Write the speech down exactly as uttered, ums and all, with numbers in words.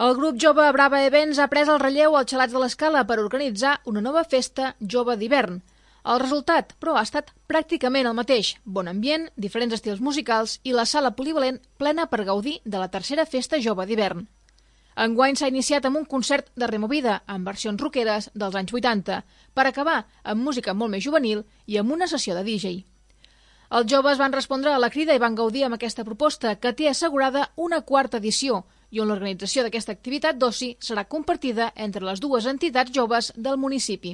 El grup jove Brava Events ha pres el relleu als Xalats de l'Escala per organitzar una nova festa jove d'hivern. El resultat, però, ha estat pràcticament el mateix. Bon ambient, diferents estils musicals i la sala polivalent plena per gaudir de la tercera festa jove d'hivern. Enguany s'ha iniciat amb un concert de Removida, amb versions rockeres dels anys vuitanta, per acabar amb música molt més juvenil i amb una sessió de D J. Els joves van respondre a la crida i van gaudir amb aquesta proposta, que té assegurada una quarta edició, i on l'organització d'aquesta activitat d'oci serà compartida entre les dues entitats joves del municipi.